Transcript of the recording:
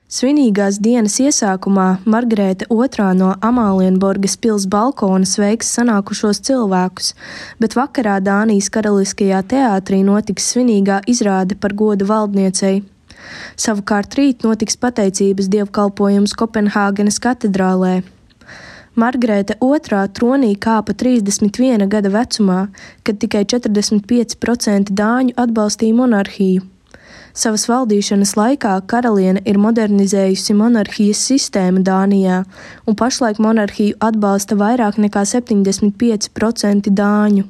Svinīgās dienas iesākumā Margarēte II no Amālienborgas pils balkona sveiks sanākušos cilvēkus, bet vakarā Dānijas Karaliskajā teātrī notiks svinīgā izrāde par godu valdniecei. Savukārt rīt notiks pateicības dievkalpojums Kopenhāgenes katedrālē. Margarēte II tronī kāpa 31 gada vecumā, kad tikai 45% dāņu atbalstīja monarhiju. Savas valdīšanas laikā karaliene ir modernizējusi monarhijas sistēmu Dānijā, un pašlaik monarhiju atbalsta vairāk nekā 75% dāņu.